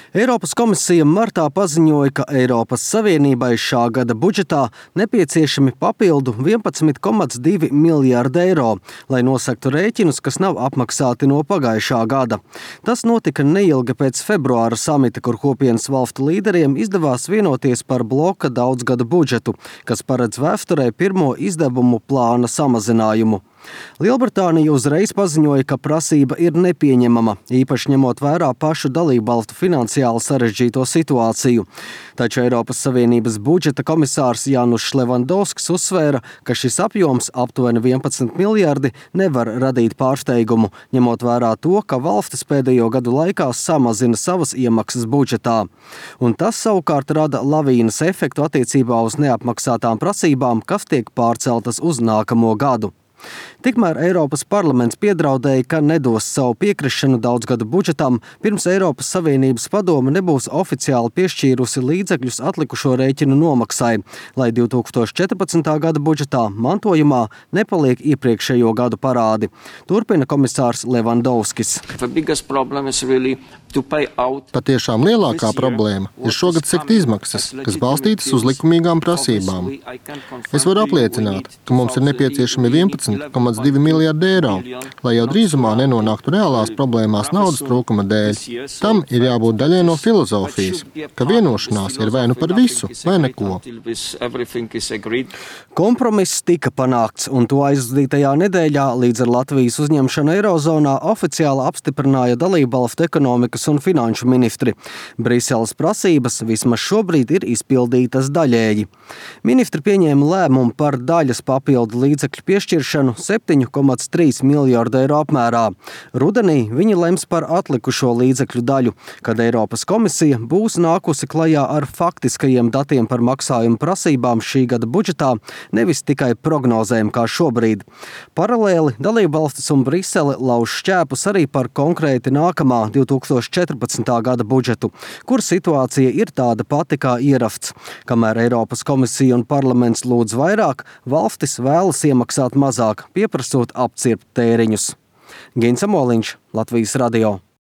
Eiropas komisija martā paziņoja, ka Eiropas Savienībai šā gada budžetā nepieciešami papildu 11,2 miljārdi eiro, lai nosegtu rēķinus, kas nav apmaksāti no pagājušā gada. Tas notika neilgi pēc februāra samita, kur kopienas valstu līderiem izdevās vienoties par bloka daudzgada budžetu, kas paredz vēsturē pirmo izdevumu plāna samazinājumu. Lielbritānija uzreiz paziņoja, ka prasība ir nepieņemama, īpaši ņemot vērā pašu dalībvalstu finansiāli sarežģīto situāciju. Taču Eiropas Savienības budžeta komisārs Jānušs Levandovskis uzsvēra, ka šis apjoms aptuveni 11 miljardi nevar radīt pārsteigumu, ņemot vērā to, ka valstis pēdējo gadu laikā samazina savas iemaksas budžetā. Un tas savukārt rada lavīnas efektu attiecībā uz neapmaksātām prasībām, kas tiek pārceltas uz nākamo gadu. Tikmēr Eiropas parlaments piedraudēja, ka nedos savu piekrišanu daudzgadu budžetam, pirms Eiropas Savienības padome nebūs oficiāli piešķīrusi līdzekļus atlikušo rēķinu nomaksai, lai 2014. gada budžetā mantojumā nepaliek iepriekšējo gadu parādi. Turpina komisārs Levandovskis. Patiešām lielākā problēma ir šogad sekt izmaksas, kas balstītas uz likumīgām prasībām. Es varu apliecināt, ka mums ir nepieciešami 11,2 miljārdi eiro, lai jau drīzumā nenonāktu reālās problēmās naudas trūkuma dēļ. Tam ir jābūt daļai no filozofijas, ka vienošanās ir vai nu par visu, vai neko. Kompromiss tika panākts, un to aizvadītajā nedēļā līdz ar Latvijas uzņemšanu Eirozonā oficiāli apstiprināja dalībvalstu ekonomikas un finanšu ministri. Briseles prasības vismaz šobrīd ir izpildītas daļēji. Ministri pieņēma lēmumu par daļas papildu līdzekļu piešķiršanu 7,3 miljārdu eiro apmērā. Rudenī viņi lems par atlikušo līdzekļu daļu, kad Eiropas komisija būs nākusi klajā ar faktiskajiem datiem par maksājumu prasībām šī gada budžetā, nevis tikai prognozēm kā šobrīd. Paralēli dalībvalstis un Brisele lauž šķēpus arī par konkrēti nākamā 2014. gada budžetu, kur situācija ir tāda pati kā ieraksts. Kamēr Eiropas komisija un parlaments lūdz vairāk, valstis vēlas iemaksāt mazāk, pieprasot apcirpt tēriņus. Gins Amoliņš, Latvijas radio.